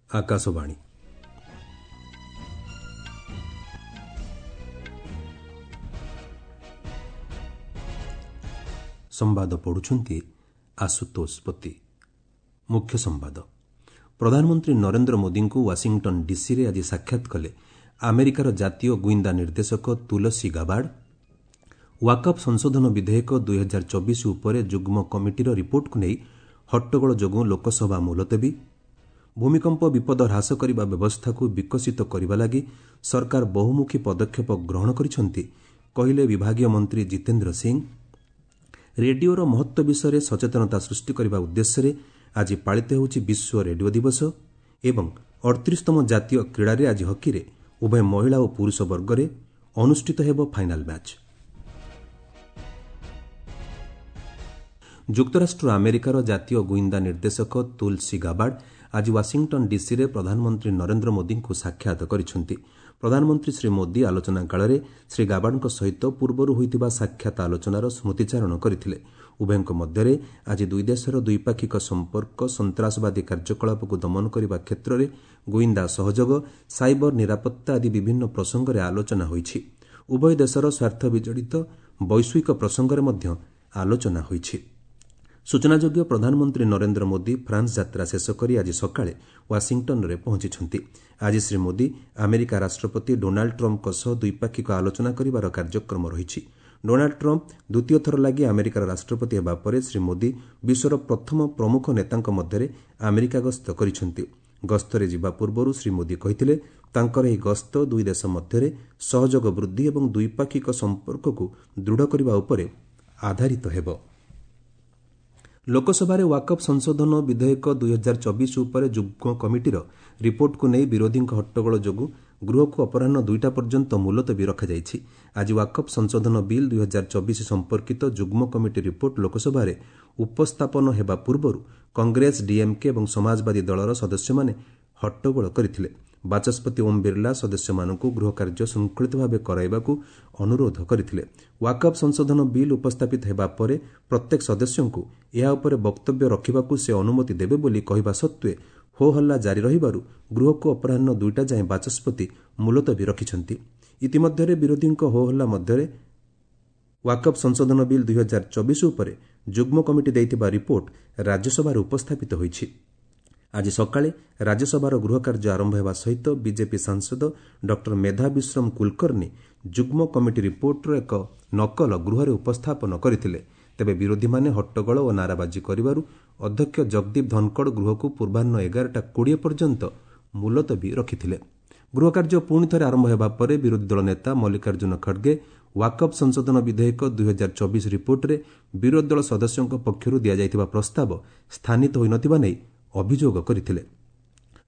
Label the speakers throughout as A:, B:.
A: ଆକାଶବାଣୀ। ସମ୍ବାଦ ପଢ଼ୁଛନ୍ତି ଆଶୁତୋଷ ପତି। ମୁଖ୍ୟ ସମ୍ବାଦ। ପ୍ରଧାନମନ୍ତ୍ରୀ ନରେନ୍ଦ୍ର ମୋଦିଙ୍କୁ ୱାଶିଂଟନ୍ ଡିସିରେ ଆଜି ସାକ୍ଷାତ କଲେ ଆମେରିକାର ଜାତୀୟ ଗୁଇନ୍ଦା ନିର୍ଦ୍ଦେଶକ ତୁଲସୀ ଗାବାର୍ଡ। ୱାକଫ୍ ସଂଶୋଧନ ବିଧେୟକ 2024 ଉପରେ ଯୁଗ୍ମ କମିଟିର ରିପୋର୍ଟକୁ ନେଇ ହଟ୍ଟଗୋଳ ଯୋଗୁଁ ଲୋକସଭା ମୁଲତବୀ। ଭୂମିକମ୍ପ ବିପଦ ହ୍ରାସ କରିବା ବ୍ୟବସ୍ଥାକୁ ବିକଶିତ କରିବା ଲାଗି ସରକାର ବହୁମୁଖୀ ପଦକ୍ଷେପ ଗ୍ରହଣ କରିଛନ୍ତି, କହିଲେ ବିଭାଗୀୟ ମନ୍ତ୍ରୀ ଜିତେନ୍ଦ୍ର ସିଂ। ରେଡିଓର ମହତ୍ତ୍ୱ ବିଷୟରେ ସଚେତନତା ସୃଷ୍ଟି କରିବା ଉଦ୍ଦେଶ୍ୟରେ ଆଜି ପାଳିତ ହେଉଛି ବିଶ୍ୱ ରେଡିଓ ଦିବସ। ଏବଂ 38ତମ ଜାତୀୟ କ୍ରୀଡ଼ାରେ ଆଜି ହକିରେ ଉଭୟ ମହିଳା ଓ ପୁରୁଷ ବର୍ଗରେ ଅନୁଷ୍ଠିତ ହେବ ଫାଇନାଲ୍ ମ୍ୟାଚ୍। ଯୁକ୍ତରାଷ୍ଟ୍ର ଆମେରିକାର ଜାତୀୟ ଗୁଇନ୍ଦା ନିର୍ଦ୍ଦେଶକ ତୁଲସୀ ଗାବାର୍ଡ ଆଜି ୱାଶିଂଟନ୍ ଡିସିରେ ପ୍ରଧାନମନ୍ତ୍ରୀ ନରେନ୍ଦ୍ର ମୋଦିଙ୍କୁ ସାକ୍ଷାତ କରିଛନ୍ତି। ପ୍ରଧାନମନ୍ତ୍ରୀ ଶ୍ରୀ ମୋଦି ଆଲୋଚନା କାଳରେ ଶ୍ରୀ ଗାବାର୍ଡଙ୍କ ସହିତ ପୂର୍ବରୁ ହୋଇଥିବା ସାକ୍ଷାତ ଆଲୋଚନାର ସ୍ମୃତିଚାରଣ କରିଥିଲେ। ଉଭୟଙ୍କ ମଧ୍ୟରେ ଆଜି ଦୁଇ ଦେଶର ଦ୍ୱିପାକ୍ଷିକ ସମ୍ପର୍କ, ସନ୍ତାସବାଦୀ କାର୍ଯ୍ୟକଳାପକୁ ଦମନ କରିବା କ୍ଷେତ୍ରରେ ଗୁଇନ୍ଦା ସହଯୋଗ, ସାଇବର ନିରାପତ୍ତା ଆଦି ବିଭିନ୍ନ ପ୍ରସଙ୍ଗରେ ଆଲୋଚନା ହୋଇଛି। ଉଭୟ ଦେଶର ସ୍ୱାର୍ଥ ବିଜଡ଼ିତ ବୈଶ୍ୱିକ ପ୍ରସଙ୍ଗରେ ମଧ୍ୟ ଆଲୋଚନା ହୋଇଛି। ସୂଚନାଯୋଗ୍ୟ, ପ୍ରଧାନମନ୍ତ୍ରୀ ନରେନ୍ଦ୍ର ମୋଦି ଫ୍ରାନ୍ସ ଯାତ୍ରା ଶେଷ କରି ଆଜି ସକାଳେ ୱାଶିଂଟନ୍ରେ ପହଞ୍ଚିଛନ୍ତି। ଆଜି ଶ୍ରୀ ମୋଦି ଆମେରିକା ରାଷ୍ଟ୍ରପତି ଡୋନାଲ୍ଡ ଟ୍ରମ୍ପଙ୍କ ସହ ଦ୍ୱିପାକ୍ଷିକ ଆଲୋଚନା କରିବାର କାର୍ଯ୍ୟକ୍ରମ ରହିଛି। ଡୋନାଲ୍ଡ ଟ୍ରମ୍ପ ଦ୍ୱିତୀୟ ଥର ଲାଗି ଆମେରିକାର ରାଷ୍ଟ୍ରପତି ହେବା ପରେ ଶ୍ରୀ ମୋଦି ବିଶ୍ୱର ପ୍ରଥମ ପ୍ରମୁଖ ନେତାଙ୍କ ମଧ୍ୟରେ ଆମେରିକା ଗସ୍ତ କରିଛନ୍ତି। ଗସ୍ତରେ ଯିବା ପୂର୍ବରୁ ଶ୍ରୀ ମୋଦି କହିଥିଲେ, ତାଙ୍କର ଏହି ଗସ୍ତ ଦୁଇ ଦେଶ ମଧ୍ୟରେ ସହଯୋଗ ବୃଦ୍ଧି ଏବଂ ଦ୍ୱିପାକ୍ଷିକ ସମ୍ପର୍କକୁ ଦୃଢ଼ କରିବା ଉପରେ ଆଧାରିତ ହେବ। ଲୋକସଭାରେ ୱାକଫ୍ ସଂଶୋଧନ ବିଧେୟକ 2024 ଉପରେ ଯୁଗ୍ମ କମିଟିର ରିପୋର୍ଟକୁ ନେଇ ବିରୋଧୀଙ୍କ ହଟ୍ଟଗୋଳ ଯୋଗୁଁ ଗୃହକୁ ଅପରାହ୍ନ 2ଟା ପର୍ଯ୍ୟନ୍ତ ମୁଲତବୀ ରଖାଯାଇଛି। ଆଜି ୱାକଫ୍ ସଂଶୋଧନ ବିଲ୍ 2024 ସମ୍ପର୍କିତ ଯୁଗ୍ମ କମିଟି ରିପୋର୍ଟ ଲୋକସଭାରେ ଉପସ୍ଥାପନ ହେବା ପୂର୍ବରୁ କଂଗ୍ରେସ, ଡିଏମ୍କେ ଏବଂ ସମାଜବାଦୀ ଦଳର ସଦସ୍ୟମାନେ ହଟ୍ଟଗୋଳ କରିଥିଲେ। ବାଚସ୍ପତି ଓମ୍ ବିର୍ଲା ସଦସ୍ୟମାନଙ୍କୁ ଗୃହ କାର୍ଯ୍ୟ ଶୃଙ୍ଖଳିତ ଭାବେ କରାଇବାକୁ ଅନୁରୋଧ କରିଥିଲେ। ୱାକଫ୍ ସଂଶୋଧନ ବିଲ୍ ଉପସ୍ଥାପିତ ହେବା ପରେ ପ୍ରତ୍ୟେକ ସଦସ୍ୟଙ୍କୁ ଏହା ଉପରେ ବକ୍ତବ୍ୟ ରଖିବାକୁ ସେ ଅନୁମତି ଦେବେ ବୋଲି କହିବା ସତ୍ତ୍ୱେ ହୋ ହଲ୍ଲା ଜାରି ରହିବାରୁ ଗୃହକୁ ଅପରାହ୍ନ 2ଟା ଯାଏଁ ବାଚସ୍ପତି ମୁଲତବୀ ରଖିଛନ୍ତି। ଇତିମଧ୍ୟରେ ବିରୋଧୀଙ୍କ ହୋ ହଲ୍ଲା ମଧ୍ୟରେ ୱାକଫ୍ ସଂଶୋଧନ ବିଲ୍ 2024 ଉପରେ ଯୁଗ୍ମ କମିଟି ଦେଇଥିବା ରିପୋର୍ଟ ରାଜ୍ୟସଭାରେ ଉପସ୍ଥାପିତ ହୋଇଛି। ଆଜି ସକାଳେ ରାଜ୍ୟସଭାର ଗୃହ କାର୍ଯ୍ୟ ଆରମ୍ଭ ହେବା ସହିତ ବିଜେପି ସାଂସଦ ଡକ୍ଟର ମେଧା ବିଶ୍ରମ କୁଲକର୍ଣ୍ଣି ଯୁଗ୍ମ କମିଟି ରିପୋର୍ଟର ଏକ ନକଲ ଗୃହରେ ଉପସ୍ଥାପନ କରିଥିଲେ। ତେବେ ବିରୋଧୀମାନେ ହଟ୍ଟଗୋଳ ଓ ନାରାବାଜି କରିବାରୁ ଅଧ୍ୟକ୍ଷ ଜଗଦୀପ ଧନକଡ଼ ଗୃହକୁ ପୂର୍ବାହ୍ନ 11:20 ପର୍ଯ୍ୟନ୍ତ ମୁଲତବୀ ରଖିଥିଲେ। ଗୃହ କାର୍ଯ୍ୟ ପୁଣି ଥରେ ଆରମ୍ଭ ହେବା ପରେ ବିରୋଧୀ ଦଳ ନେତା ମଲ୍ଲିକାର୍ଜୁନ ଖଡ୍ଗେ ୱାକଫ୍ ସଂଶୋଧନ ବିଧେୟକ 2024 ରିପୋର୍ଟରେ ବିରୋଧୀ ଦଳ ସଦସ୍ୟଙ୍କ ପକ୍ଷରୁ ଦିଆଯାଇଥିବା ପ୍ରସ୍ତାବ ସ୍ଥାନିତ ହୋଇନଥିବା ନେଇ ଅଭିଯୋଗ କରିଥିଲେ।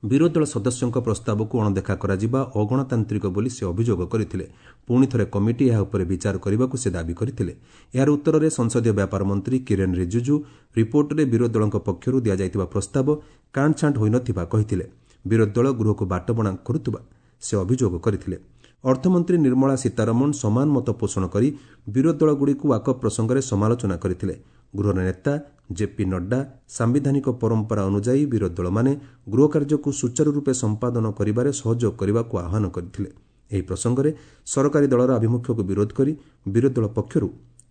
A: ବିରୋଧୀ ଦଳ ସଦସ୍ୟଙ୍କ ପ୍ରସ୍ତାବକୁ ଅଣଦେଖା କରାଯିବା ଅଗଣତାନ୍ତ୍ରିକ ବୋଲି ସେ ଅଭିଯୋଗ କରିଥିଲେ। ପୁଣି ଥରେ କମିଟି ଏହା ଉପରେ ବିଚାର କରିବାକୁ ସେ ଦାବି କରିଥିଲେ। ଏହାର ଉତ୍ତରରେ ସଂସଦୀୟ ବ୍ୟାପାର ମନ୍ତ୍ରୀ କିରେନ୍ ରିଜିଜୁ ରିପୋର୍ଟରେ ବିରୋଧୀ ଦଳଙ୍କ ପକ୍ଷରୁ ଦିଆଯାଇଥିବା ପ୍ରସ୍ତାବ କାଣ୍ଟଛାଣ୍ଟ ହୋଇନଥିବା କହିଥିଲେ। ବିରୋଧୀ ଦଳ ଗୃହକୁ ବାଟବଣା କରୁଥିବା ସେ ଅଭିଯୋଗ କରିଥିଲେ। ଅର୍ଥମନ୍ତ୍ରୀ ନିର୍ମଳା ସୀତାରମଣ ସମାନ ମତ ପୋଷଣ କରି ବିରୋଧୀ ଦଳଗୁଡ଼ିକୁ ୱାକଫ୍ ପ୍ରସଙ୍ଗରେ ସମାଲୋଚନା କରିଥିଲେ। ଗୃହର ନେତା ଜେପି ନଡ୍ଡା ସାମ୍ବିଧାନିକ ପରମ୍ପରା ଅନୁଯାୟୀ ବିରୋଧୀ ଦଳମାନେ ଗୃହ କାର୍ଯ୍ୟକୁ ସୁଚାରୁ ରୂପେ ସମ୍ପାଦନ କରିବାରେ ସହଯୋଗ କରିବାକୁ ଆହ୍ୱାନ କରିଥିଲେ। ଏହି ପ୍ରସଙ୍ଗରେ ସରକାରୀ ଦଳର ଆଭିମୁଖ୍ୟକୁ ବିରୋଧ କରି ବିରୋଧୀ ଦଳ ପକ୍ଷରୁ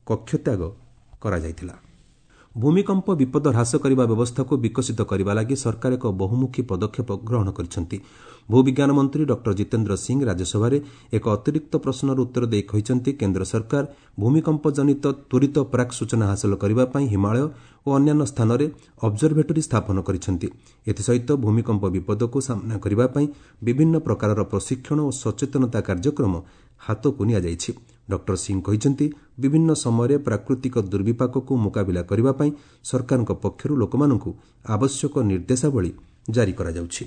A: କକ୍ଷତ୍ୟାଗ କରାଯାଇଥିଲା। ଭୂମିକମ୍ପ ବିପଦ ହ୍ରାସ କରିବା ବ୍ୟବସ୍ଥାକୁ ବିକଶିତ କରିବା ଲାଗି ସରକାର ଏକ ବହୁମୁଖୀ ପଦକ୍ଷେପ ଗ୍ରହଣ କରିଛନ୍ତି। ଭୂବିଜ୍ଞାନ ମନ୍ତ୍ରୀ ଡକ୍ଟର ଜିତେନ୍ଦ୍ର ସିଂ ରାଜ୍ୟସଭାରେ ଏକ ଅତିରିକ୍ତ ପ୍ରଶ୍ନର ଉତ୍ତର ଦେଇ କହିଛନ୍ତି, କେନ୍ଦ୍ର ସରକାର ଭୂମିକମ୍ପ ଜନିତ ତ୍ୱରିତ ପ୍ରାକ୍ ସୂଚନା ହାସଲ କରିବା ପାଇଁ ହିମାଳୟ ଓ ଅନ୍ୟାନ୍ୟ ସ୍ଥାନରେ ଅବଜରଭେଟରୀ ସ୍ଥାପନ କରିଛନ୍ତି। ଏଥିସହିତ ଭୂମିକମ୍ପ ବିପଦକୁ ସାମ୍ନା କରିବା ପାଇଁ ବିଭିନ୍ନ ପ୍ରକାରର ପ୍ରଶିକ୍ଷଣ ଓ ସଚେତନତା କାର୍ଯ୍ୟକ୍ରମ ହାତକୁ ନିଆଯାଇଛି। ଡକ୍ଟର ସିଂ କହିଛନ୍ତି, ବିଭିନ୍ନ ସମୟରେ ପ୍ରାକୃତିକ ଦୁର୍ବିପାକକୁ ମୁକାବିଲା କରିବା ପାଇଁ ସରକାରଙ୍କ ପକ୍ଷରୁ ଲୋକମାନଙ୍କୁ ଆବଶ୍ୟକ ନିର୍ଦ୍ଦେଶାବଳୀ ଜାରି କରାଯାଉଛି।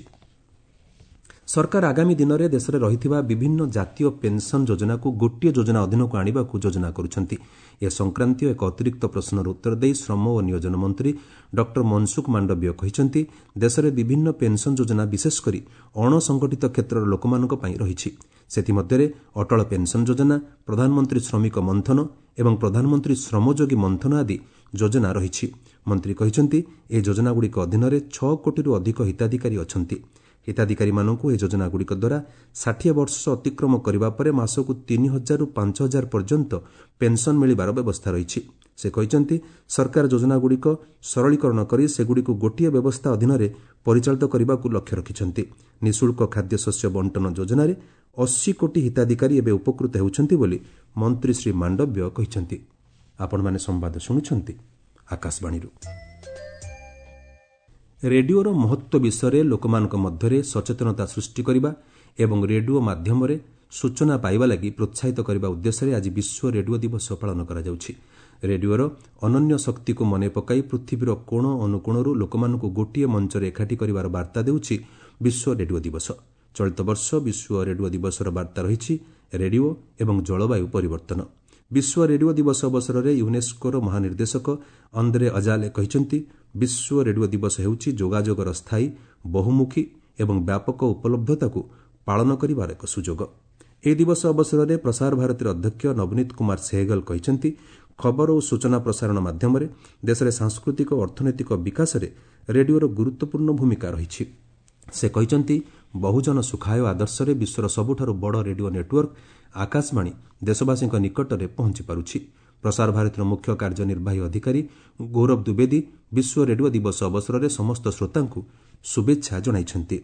A: ସରକାର ଆଗାମୀ ଦିନରେ ଦେଶରେ ରହିଥିବା ବିଭିନ୍ନ ଜାତୀୟ ପେନ୍ସନ୍ ଯୋଜନାକୁ ଗୋଟିଏ ଯୋଜନା ଅଧୀନକୁ ଆଣିବାକୁ ଯୋଜନା କରୁଛନ୍ତି। ଏ ସଂକ୍ରାନ୍ତୀୟ ଏକ ଅତିରିକ୍ତ ପ୍ରଶ୍ନର ଉତ୍ତର ଦେଇ ଶ୍ରମ ଓ ନିୟୋଜନ ମନ୍ତ୍ରୀ ଡକ୍ଟର ମନସୁଖ ମାଣ୍ଡବୀୟ କହିଛନ୍ତି, ଦେଶରେ ବିଭିନ୍ନ ପେନ୍ସନ୍ ଯୋଜନା ବିଶେଷକରି ଅଣସଂଗଠିତ କ୍ଷେତ୍ରର ଲୋକମାନଙ୍କ ପାଇଁ ରହିଛି। ସେଥିମଧ୍ୟରେ ଅଟଳ ପେନ୍ସନ୍ ଯୋଜନା, ପ୍ରଧାନମନ୍ତ୍ରୀ ଶ୍ରମିକ ମନ୍ଥନ ଏବଂ ପ୍ରଧାନମନ୍ତ୍ରୀ ଶ୍ରମଯୋଗୀ ମନ୍ଥନ ଆଦି ଯୋଜନା ରହିଛି। ମନ୍ତ୍ରୀ କହିଛନ୍ତି, ଏହି ଯୋଜନାଗୁଡ଼ିକ ଅଧୀନରେ 6 କୋଟିରୁ ଅଧିକ ହିତାଧିକାରୀ ଅଛନ୍ତି। ହିତାଧିକାରୀମାନଙ୍କୁ ଏହି ଯୋଜନାଗୁଡ଼ିକ ଦ୍ୱାରା 60 ବର୍ଷ ଅତିକ୍ରମ କରିବା ପରେ ମାସକୁ 3000ରୁ 5000 ପର୍ଯ୍ୟନ୍ତ ପେନ୍ସନ୍ ମିଳିବାର ବ୍ୟବସ୍ଥା ରହିଛି। ସେ କହିଛନ୍ତି, ସରକାର ଯୋଜନାଗୁଡ଼ିକ ସରଳୀକରଣ କରି ସେଗୁଡ଼ିକୁ ଗୋଟିଏ ବ୍ୟବସ୍ଥା ଅଧୀନରେ ପରିଚାଳିତ କରିବାକୁ ଲକ୍ଷ୍ୟ ରଖିଛନ୍ତି। ନିଃଶୁଳ୍କ ଖାଦ୍ୟଶସ୍ୟ ବଣ୍ଟନ ଯୋଜନାରେ 80 କୋଟି ହିତାଧିକାରୀ ଏବେ ଉପକୃତ ହେଉଛନ୍ତି ବୋଲି ମନ୍ତ୍ରୀ ଶ୍ରୀ ମାଣ୍ଡବ୍ୟ କହିଛନ୍ତି। ଆପଣମାନେ ସମ୍ବାଦ ଶୁଣୁଛନ୍ତି ଆକାଶବାଣୀରୁ। ରେଡିଓର ମହତ୍ତ୍ୱ ବିଷୟରେ ଲୋକମାନଙ୍କ ମଧ୍ୟରେ ସଚେତନତା ସୃଷ୍ଟି କରିବା ଏବଂ ରେଡିଓ ମାଧ୍ୟମରେ ସୂଚନା ପାଇବା ଲାଗି ପ୍ରୋତ୍ସାହିତ କରିବା ଉଦ୍ଦେଶ୍ୟରେ ଆଜି ବିଶ୍ୱ ରେଡିଓ ଦିବସ ପାଳନ କରାଯାଉଛି। ରେଡିଓର ଅନନ୍ୟ ଶକ୍ତିକୁ ମନେ ପକାଇ ପୃଥିବୀର କୋଣ ଅନୁକୋଣରୁ ଲୋକମାନଙ୍କୁ ଗୋଟିଏ ମଞ୍ଚରେ ଏକାଠି କରିବାର ବାର୍ତ୍ତା ଦେଉଛି ବିଶ୍ୱ ରେଡିଓ ଦିବସ। ଚଳିତ ବର୍ଷ ବିଶ୍ୱ ରେଡିଓ ଦିବସର ବାର୍ତ୍ତା ରହିଛି ରେଡିଓ ଏବଂ ଜଳବାୟୁ ପରିବର୍ତ୍ତନ। ବିଶ୍ୱ ରେଡିଓ ଦିବସ ଅବସରରେ ୟୁନେସ୍କୋର ମହାନିର୍ଦ୍ଦେଶକ ଅନ୍ଦ୍ରେ ଅଜାଲେ କହିଛନ୍ତି, ବିଶ୍ୱ ରେଡିଓ ଦିବସ ହେଉଛି ଯୋଗାଯୋଗର ସ୍ଥାୟୀ, ବହୁମୁଖୀ ଏବଂ ବ୍ୟାପକ ଉପଲବ୍ଧତାକୁ ପାଳନ କରିବାର ଏକ ସୁଯୋଗ। ଏହି ଦିବସ ଅବସରରେ ପ୍ରସାର ଭାରତୀର ଅଧ୍ୟକ୍ଷ ନବନୀତ କୁମାର ସେହଗଲ କହିଛନ୍ତି, ଖବର ଓ ସୂଚନା ପ୍ରସାରଣ ମାଧ୍ୟମରେ ଦେଶରେ ସାଂସ୍କୃତିକ ଓ ଅର୍ଥନୈତିକ ବିକାଶରେ ରେଡିଓର ଗୁରୁତ୍ୱପୂର୍ଣ୍ଣ ଭୂମିକା ରହିଛି। ସେ କହିଛନ୍ତି, ବହୁଜନ ସୁଖାୟ ଆଦର୍ଶରେ ବିଶ୍ୱର ସବୁଠାରୁ ବଡ଼ ରେଡିଓ ନେଟୱାର୍କ ଆକାଶବାଣୀ ଦେଶବାସୀଙ୍କ ନିକଟରେ ପହଞ୍ଚି ପାରୁଛି। ପ୍ରସାର ଭାରତୀର ମୁଖ୍ୟ କାର୍ଯ୍ୟନିର୍ବାହୀ ଅଧିକାରୀ ଗୌରବ ଦ୍ୱିବେଦୀ ବିଶ୍ୱ ରେଡିଓ ଦିବସ ଅବସରରେ ସମସ୍ତ ଶ୍ରୋତାଙ୍କୁ ଶୁଭେଚ୍ଛା ଜଣାଇଛନ୍ତି।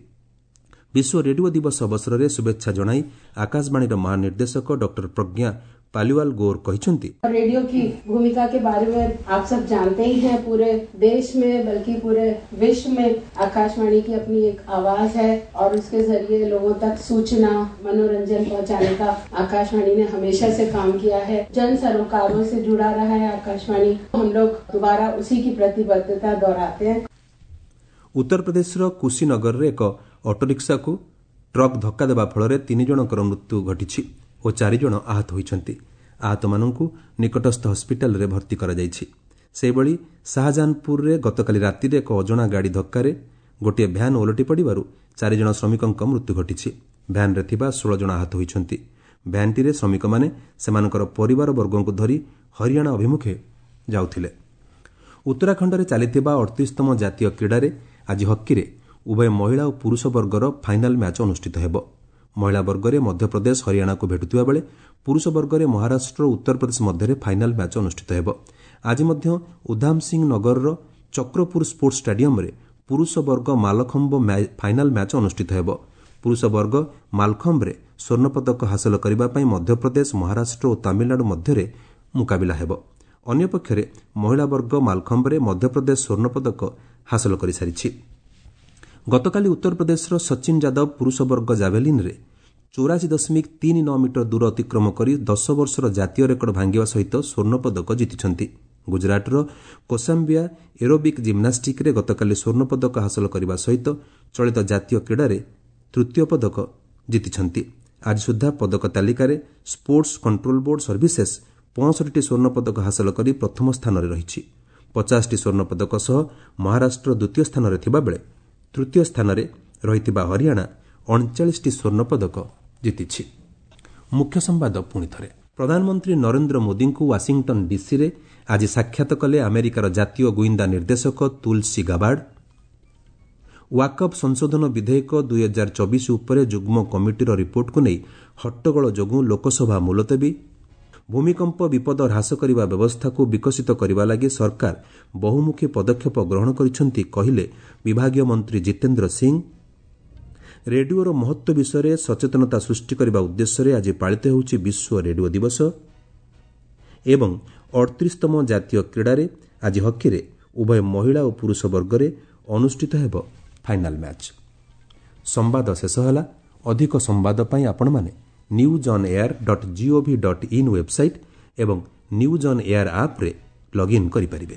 A: ବିଶ୍ୱ ରେଡିଓ ଦିବସ ଅବସରରେ ଶୁଭେଚ୍ଛା ଜଣାଇ ଆକାଶବାଣୀର ମହାନିର୍ଦ୍ଦେଶକ ଡକ୍ଟର ପ୍ରଜ୍ଞା पालीवाल गौर କହିଛନ୍ତି,
B: रेडियो की भूमिका के बारे में आप सब जानते ही हैं। पूरे देश में बल्कि पूरे विश्व में आकाशवाणी की अपनी एक आवाज है और उसके जरिए लोगों तक सूचना, मनोरंजन पहुंचाने का आकाशवाणी ने हमेशा से काम किया है। जन सरोकारों से जुड़ा रहा है आकाशवाणी। हम लोग दोबारा उसी की प्रतिबद्धता दोहराते हैं।
A: ଉତ୍ତରପ୍ରଦେଶର କୁଶୀନଗରରେ ଏକ ଅଟୋରିକ୍ସାକୁ ଟ୍ରକ୍ ଧକ୍କା ଦେବା ଫଳରେ 3 ଜଣଙ୍କର ମୃତ୍ୟୁ ଘଟିଛି ଓ 4 ଜଣ ଆହତ ହୋଇଛନ୍ତି। ଆହତମାନଙ୍କୁ ନିକଟସ୍ଥ ହସ୍ପିଟାଲରେ ଭର୍ତ୍ତି କରାଯାଇଛି। ସେହିଭଳି ଶାହଜାହାନପୁରରେ ଗତକାଲି ରାତିରେ ଏକ ଅଜଣା ଗାଡ଼ି ଧକ୍କାରେ ଗୋଟିଏ ଭ୍ୟାନ୍ ଓଲଟି ପଡ଼ିବାରୁ 4 ଜଣ ଶ୍ରମିକଙ୍କ ମୃତ୍ୟୁ ଘଟିଛି। ଭ୍ୟାନ୍ରେ ଥିବା 16 ଜଣ ଆହତ ହୋଇଛନ୍ତି। ଭ୍ୟାନ୍ଟିରେ ଶ୍ରମିକମାନେ ସେମାନଙ୍କର ପରିବାରବର୍ଗଙ୍କୁ ଧରି ହରିୟାଣା ଅଭିମୁଖେ ଯାଉଥିଲେ। ଉତ୍ତରାଖଣ୍ଡରେ ଚାଲିଥିବା 38ତମ ଜାତୀୟ କ୍ରୀଡ଼ାରେ ଆଜି ହକିରେ ଉଭୟ ମହିଳା ଓ ପୁରୁଷ ବର୍ଗର ଫାଇନାଲ୍ ମ୍ୟାଚ୍ ଅନୁଷ୍ଠିତ ହେବ। ମହିଳା ବର୍ଗରେ ମଧ୍ୟପ୍ରଦେଶ ହରିୟାଣାକୁ ଭେଟୁଥିବା ବେଳେ ପୁରୁଷ ବର୍ଗରେ ମହାରାଷ୍ଟ୍ର ଓ ଉତ୍ତରପ୍ରଦେଶ ମଧ୍ୟରେ ଫାଇନାଲ୍ ମ୍ୟାଚ୍ ଅନୁଷ୍ଠିତ ହେବ। ଆଜି ମଧ୍ୟ ଉଧାମ ସିଂ ନଗରର ଚକ୍ରପୁର ସ୍ପୋର୍ଟସ ଷ୍ଟାଡିୟମରେ ପୁରୁଷ ବର୍ଗ ମାଲଖମ୍ବ ଫାଇନାଲ୍ ମ୍ୟାଚ୍ ଅନୁଷ୍ଠିତ ହେବ। ପୁରୁଷ ବର୍ଗ ମାଲଖମ୍ବରେ ସ୍ୱର୍ଣ୍ଣପଦକ ହାସଲ କରିବା ପାଇଁ ମଧ୍ୟପ୍ରଦେଶ, ମହାରାଷ୍ଟ୍ର ଓ ତାମିଲନାଡୁ ମଧ୍ୟରେ ମୁକାବିଲା ହେବ। ଅନ୍ୟପକ୍ଷରେ ମହିଳା ବର୍ଗ ମାଲଖମ୍ବରେ ମଧ୍ୟପ୍ରଦେଶ ସ୍ୱର୍ଣ୍ଣପଦକ ହାସଲ କରିସାରିଛି। ଗତକାଲି ଉତ୍ତରପ୍ରଦେଶର ସଚିନ ଯାଦବ ପୁରୁଷ ବର୍ଗ ଜାଭେଲିନ୍ରେ 84.39 ମିଟର ଦୂର ଅତିକ୍ରମ କରି 10 ବର୍ଷର ଜାତୀୟ ରେକର୍ଡ ଭାଙ୍ଗିବା ସହିତ ସ୍ୱର୍ଣ୍ଣପଦକ ଜିତିଛନ୍ତି। ଗୁଜରାଟର କୋସାମ୍ବିଆ ଏରୋବିକ୍ ଜିମ୍ନାଷ୍ଟିକ୍ରେ ଗତକାଲି ସ୍ୱର୍ଣ୍ଣପଦକ ହାସଲ କରିବା ସହିତ ଚଳିତ ଜାତୀୟ କ୍ରୀଡ଼ାରେ ତୃତୀୟ ପଦକ ଜିତିଛନ୍ତି। ଆଜି ସୁଦ୍ଧା ପଦକ ତାଲିକାରେ ସ୍ପୋର୍ଟସ କଣ୍ଟ୍ରୋଲ ବୋର୍ଡ ସର୍ଭିସେସ୍ 65ଟି ସ୍ୱର୍ଣ୍ଣପଦକ ହାସଲ କରି ପ୍ରଥମ ସ୍ଥାନରେ ରହିଛି। 50ଟି ସ୍ୱର୍ଣ୍ଣପଦକ ସହ ମହାରାଷ୍ଟ୍ର ଦ୍ୱିତୀୟ ସ୍ଥାନରେ ଥିବାବେଳେ ତୃତୀୟ ସ୍ଥାନରେ ରହିଥିବା ହରିୟାଣା 39ଟି ସ୍ୱର୍ଣ୍ଣପଦକ ଜିତିଛି। ମୁଖ୍ୟ ସମ୍ବାଦ ପୁଣି ଥରେ। ପ୍ରଧାନମନ୍ତ୍ରୀ ନରେନ୍ଦ୍ର ମୋଦିଙ୍କୁ ୱାଶିଂଟନ୍ ଡିସିରେ ଆଜି ସାକ୍ଷାତ କଲେ ଆମେରିକାର ଜାତୀୟ ଗୁଇନ୍ଦା ନିର୍ଦ୍ଦେଶକ ତୁଲସୀ ଗାବାର୍ଡ। ୱାକଫ୍ ସଂଶୋଧନ ବିଧେୟକ 2024 ଉପରେ ଯୁଗ୍ମ କମିଟିର ରିପୋର୍ଟକୁ ନେଇ ହଟ୍ଟଗୋଳ ଯୋଗୁଁ ଲୋକସଭା ମୁଲତବୀ। ଭୂମିକମ୍ପ ବିପଦ ହ୍ରାସ କରିବା ବ୍ୟବସ୍ଥାକୁ ବିକଶିତ କରିବା ଲାଗି ସରକାର ବହୁମୁଖୀ ପଦକ୍ଷେପ ଗ୍ରହଣ କରିଛନ୍ତି, କହିଲେ ବିଭାଗୀୟ ମନ୍ତ୍ରୀ ଜିତେନ୍ଦ୍ର ସିଂ। ରେଡିଓର ମହତ୍ତ୍ୱ ବିଷୟରେ ସଚେତନତା ସୃଷ୍ଟି କରିବା ଉଦ୍ଦେଶ୍ୟରେ ଆଜି ପାଳିତ ହେଉଛି ବିଶ୍ୱ ରେଡିଓ ଦିବସ। ଏବଂ 38ତମ ଜାତୀୟ କ୍ରୀଡ଼ାରେ ଆଜି ହକିରେ ଉଭୟ ମହିଳା ଓ ପୁରୁଷ ବର୍ଗରେ ଅନୁଷ୍ଠିତ ହେବ ଫାଇନାଲ୍ ମ୍ୟାଚ୍। ସମ୍ବାଦ ଶେଷ ହେଲା। ଅଧିକ ସମ୍ବାଦ ପାଇଁ ଆପଣମାନେ newsonair.gov.in website ଏବଂ ନ୍ୟୁଜ୍ ଅନ୍ ଏୟାର ଆପ୍ରେ ଲଗ୍ଇନ୍ କରିପାରିବେ।